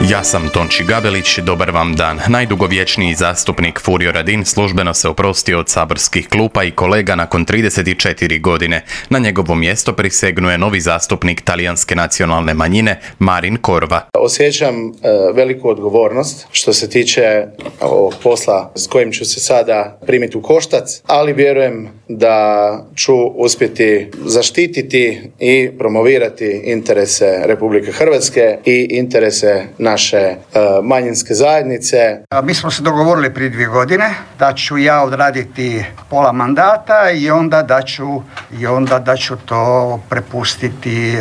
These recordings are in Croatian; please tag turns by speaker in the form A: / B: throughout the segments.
A: Ja sam Tonči Gabelić, dobar vam dan. Najdugovječniji zastupnik Furio Radin službeno se oprostio od saborskih klupa i kolega nakon 34 godine. Na njegovo mjesto prisegnuje novi zastupnik talijanske nacionalne manjine, Marin Corva.
B: Osjećam veliku odgovornost što se tiče ovog posla s kojim ću se sada primiti u koštac, ali vjerujem da ću uspjeti zaštititi i promovirati interese Republike Hrvatske i interese naše manjinske zajednice.
C: Mi smo se dogovorili prije 2 godine da ću ja odraditi pola mandata i onda da ću to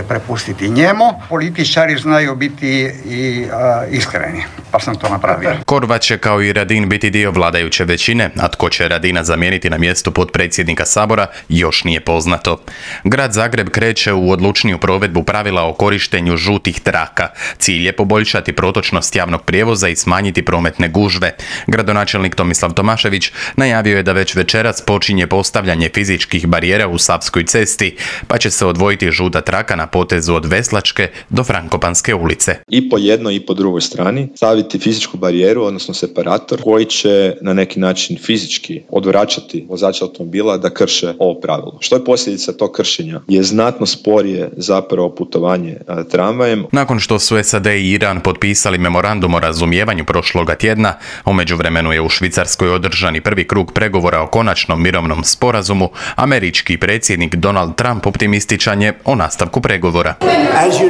C: prepustiti njemu. Političari znaju biti i iskreni, pa sam to napravio.
A: Corva će kao i Radin biti dio vladajuće većine, a tko će Radina zamijeniti na mjestu potpredsjednika Sabora još nije poznato. Grad Zagreb kreće u odlučniju provedbu pravila o korištenju žutih traka. Cilj je poboljšati protočnost javnog prijevoza i smanjiti prometne gužve. Gradonačelnik Tomislav Tomašević najavio je da već večeras počinje postavljanje fizičkih barijera u Savskoj cesti, pa će se odvojiti žuta traka na potezu od Veslačke do Frankopanske ulice.
D: I po jednoj i po drugoj strani staviti fizičku barijeru, odnosno separator, koji će na neki način fizički odvraćati vozača automobila da krše ovo pravilo. Što je posljedica tog kršenja? Je znatno sporije zapravo putovanje tramvajem.
A: Nakon što su SAD i Iran potpisali memorandum o razumijevanju prošloga tjedna, u međuvremenu je u Švicarskoj održani prvi krug pregovora o konačnom mirovnom sporazumu, američki predsjednik Donald Trump optimističan je o nastavku pregovora.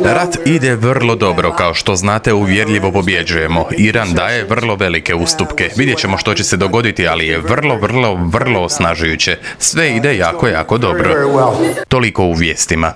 A: Rat ide vrlo dobro, kao što znate uvjerljivo pobjeđujemo. Iran daje vrlo velike ustupke. Vidjet ćemo što će se dogoditi, ali je vrlo osnažujuće. Sve ide jako dobro. Toliko u vijestima.